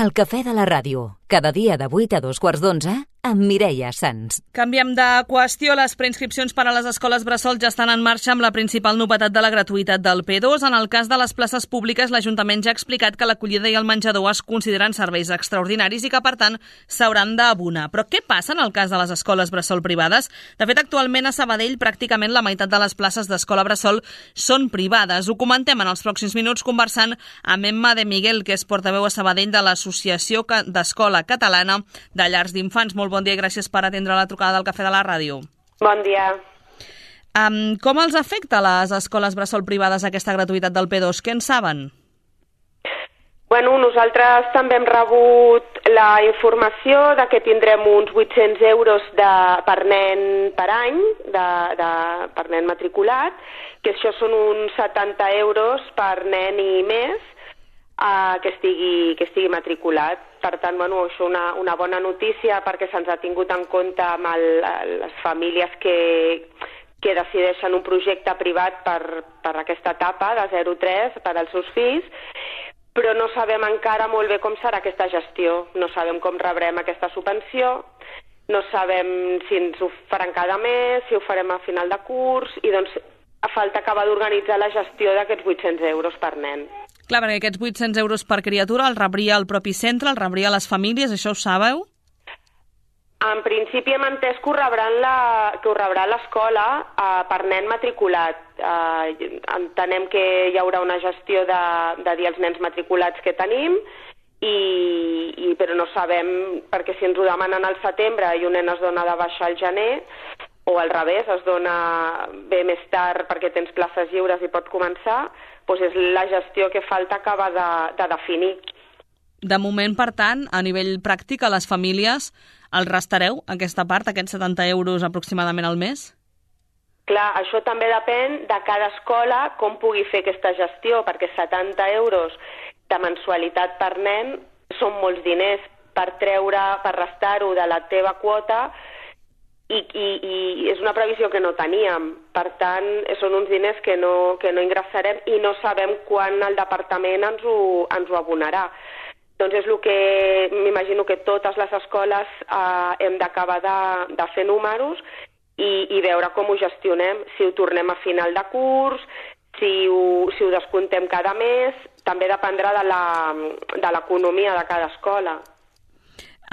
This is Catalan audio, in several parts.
El cafè de la ràdio, cada dia de 8 a 2:15, amb Mireia Sans. Canviem de qüestió. Les preinscripcions per a les escoles bressol ja estan en marxa amb la principal novetat de la gratuïtat del P2. En el cas de les places públiques, l'Ajuntament ja ha explicat que l'acollida i el menjador es consideren serveis extraordinaris i que, per tant, s'hauran d'abonar. Però què passa en el cas de les escoles bressol privades? De fet, actualment a Sabadell pràcticament la meitat de les places d'escola bressol són privades. Ho comentem en els pròxims minuts conversant amb Emma de Miguel, que és portaveu a Sabadell de l'Associació d'Escola Catalana de Llars d'Infants. Molt bon dia i gràcies per atendre la trucada del Cafè de la Ràdio. Bon dia. Com els afecta a les escoles bressol privades aquesta gratuïtat del P2? Què en saben? Bueno, nosaltres també hem rebut la informació de que tindrem uns 800 euros per nen per any, per nen matriculat, que això són uns 70 euros per nen i més que estigui matriculat. Per tant, bueno, això és una bona notícia perquè se'ns ha tingut en compte amb les famílies que decideixen un projecte privat per aquesta etapa de 0-3 per als seus fills, però no sabem encara molt bé com serà aquesta gestió. No sabem com rebrem aquesta subvenció, no sabem si ens ho faran cada mes, si ho farem a final de curs, i doncs falta acabar d'organitzar la gestió d'aquests 800 euros per nen. Clar, perquè aquests 800 euros per criatura el rebria el propi centre, el rebria les famílies, això ho sabeu? En principi hem entès que ho rebrà l'escola per nen matriculat. Entenem que hi haurà una gestió de dir als nens matriculats que tenim, però no sabem, perquè si ens ho demanen al setembre i un nen es dona de baixa al gener, o al revés, es dona bé més tard perquè tens places lliures i pot començar, doncs és la gestió que falta acabar de definir. De moment, per tant, a nivell pràctic, a les famílies els restareu aquesta part, aquests 70 euros aproximadament al mes? Clar, això també depèn de cada escola com pugui fer aquesta gestió, perquè 70 euros de mensualitat per nen són molts diners per restar-ho de la teva quota, i és una previsió que no teníem. Per tant, són uns diners que no ingressarem i no sabem quan el departament ens ho abonarà. Doncs és el que m'imagino que totes les escoles hem d'acabar de fer números i veure com ho gestionem, si ho tornem a final de curs, si ho descomptem cada mes, també dependrà de l'economia de cada escola.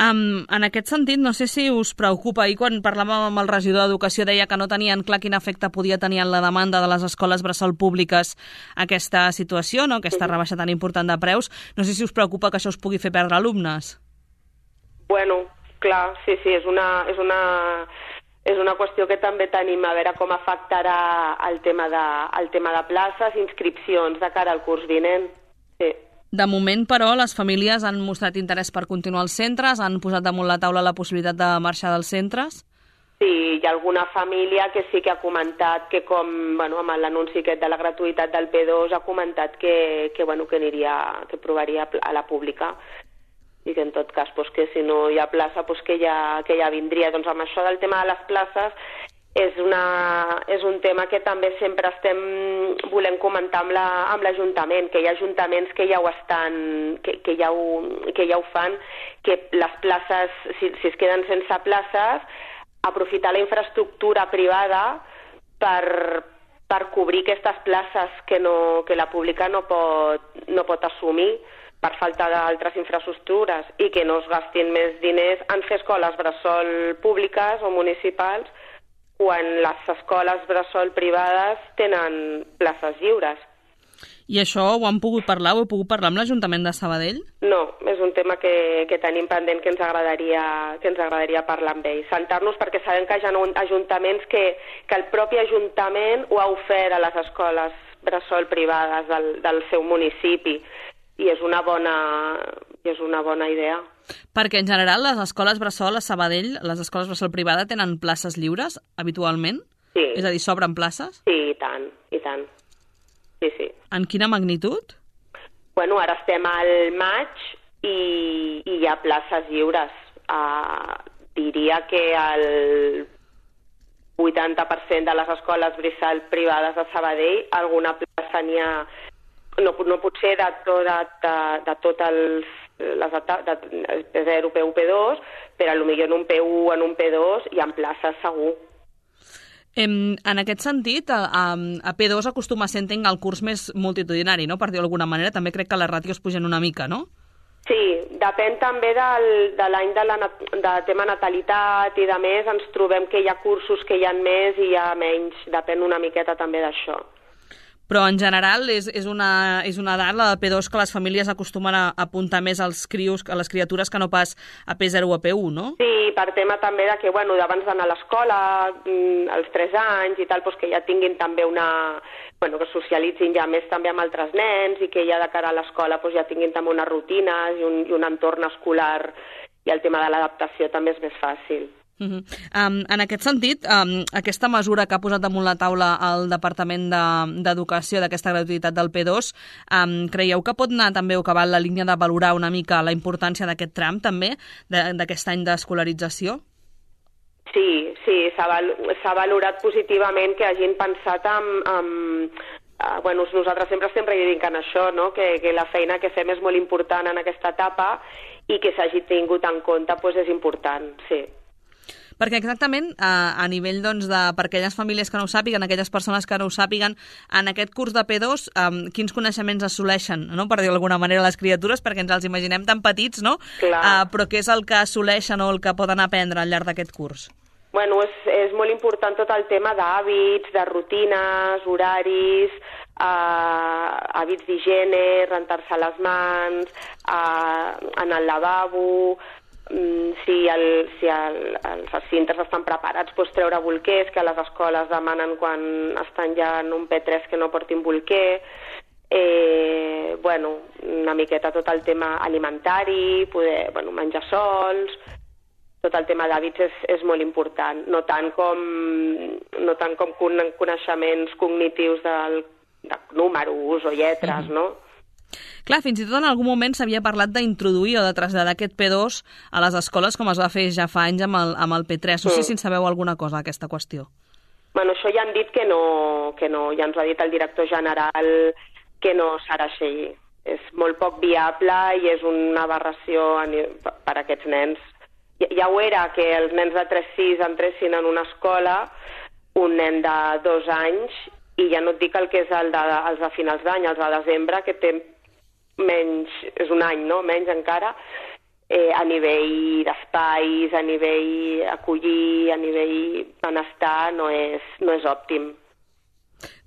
En aquest sentit, no sé si us preocupa, ahir quan parlàvem amb el regidor d'Educació deia que no tenien clar quin efecte podia tenir en la demanda de les escoles bressol públiques aquesta situació, no? Aquesta rebaixa tan important de preus. No sé si us preocupa que això us pugui fer perdre alumnes. Bueno, clar, sí, és una qüestió que també tenim, a veure com afectarà el tema de places, inscripcions de cara al curs vinent. Sí. De moment, però, les famílies han mostrat interès per continuar als centres, han posat damunt la taula la possibilitat de marxar dels centres? Sí, hi ha alguna família que sí que ha comentat que amb l'anunci aquest de la gratuïtat del P2 ha comentat que provaria a la pública i que en tot cas que si no hi ha plaça que ja vindria. Doncs amb això del tema de les places és un tema que també sempre estem volent comentar amb l'Ajuntament, que hi ha ajuntaments que ja ho estan, que ja ho fan, que les places, si es queden sense places, aprofitar la infraestructura privada per cobrir aquestes places que la pública no pot assumir per falta d'altres infraestructures i que no es gastin més diners en fer escoles bressol públiques o municipals quan les escoles bressol privades tenen places lliures. I això ho han pogut parlar? Ho heu pogut parlar amb l'Ajuntament de Sabadell? No, és un tema que tenim pendent que ens agradaria parlar amb ells. Sentar-nos perquè sabem que hi ha ajuntaments que el propi Ajuntament ho ha ofert a les escoles bressol privades del seu municipi i és una bona idea. Perquè en general les escoles bressol a Sabadell, les escoles bressol privades tenen places lliures habitualment? Sí. És a dir, sobren places? Sí, i tant. Sí. En quina magnitud? Bueno, ara estem al maig i hi ha places lliures. Diria que el 80% de les escoles bressol privades de Sabadell alguna plaça n'hi ha. No potser de tots els P0, P1, P2, però potser en un P1, en un P2 hi ha places segur. En aquest sentit, a P2 acostuma a ser, entenc, el curs més multitudinari, no? Per dir-ho d'alguna manera, també crec que les ràtios pugen una mica, no? Sí, depèn també de l'any de tema natalitat i de més, ens trobem que hi ha cursos que hi ha més i hi ha menys, depèn una miqueta també d'això. Però en general és una edat, la de P2, que les famílies acostumen a apuntar més als crios, a les criatures, que no pas a P0 o a P1, no? Sí, per tema també de que, abans d'anar a l'escola, als 3 anys i tal, que ja tinguin també que socialitzin ja més també amb altres nens i que ja de cara a l'escola ja tinguin també unes rutines i un entorn escolar, i el tema de l'adaptació també és més fàcil. En aquest sentit, aquesta mesura que ha posat damunt la taula el Departament d'Educació d'aquesta gratuïtat del P2, creieu que pot anar també o que va en la línia de valorar una mica la importància d'aquest tram també, d'aquest any d'escolarització? Sí, s'ha valorat positivament que hagin pensat nosaltres sempre estem reivindicant això, no? Que la feina que fem és molt important en aquesta etapa i que s'hagi tingut en compte és important, sí. Perquè exactament, a nivell per aquelles famílies que no ho sàpiguen, aquelles persones que no ho sàpiguen, en aquest curs de P2, quins coneixements assoleixen, no? Per dir-ho d'alguna manera, les criatures, perquè ens els imaginem tan petits, no? Però què és el que assoleixen o el que poden aprendre al llarg d'aquest curs? És molt important tot el tema d'hàbits, de rutines, horaris, hàbits d'higiene, rentar-se les mans, anar al lavabo, si els cintes estan preparats, treure bolquers, que a les escoles demanen quan estan ja en un P3 que no portin bolquer, una miqueta tot el tema alimentari, poder menjar sols, tot el tema d'hàbits és molt important, no tant com coneixements cognitius de números o lletres, no? Clar, fins i tot en algun moment s'havia parlat d'introduir o de traslladar aquest P2 a les escoles, com es va fer ja fa anys amb el P3. No sé si en sabeu alguna cosa d'aquesta qüestió. Això ja han dit que no, ja ens ho ha dit el director general que no serà així. És molt poc viable i és una aberració per a aquests nens. Ja ho era que els nens de 3-6 entressin en una escola, un nen de 2 anys, i ja no et dic el que és els de finals d'any, els de desembre, que té menys, és un any, no? Menys encara, a nivell d'espais, a nivell acollir, a nivell benestar, no és òptim.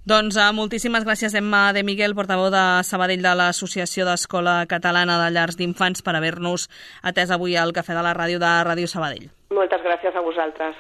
Doncs moltíssimes gràcies, Emma de Miguel, portaveu de Sabadell de l'Associació d'Escola Catalana de Llars d'Infants, per haver-nos atès avui al Cafè de la Ràdio de Ràdio Sabadell. Moltes gràcies a vosaltres.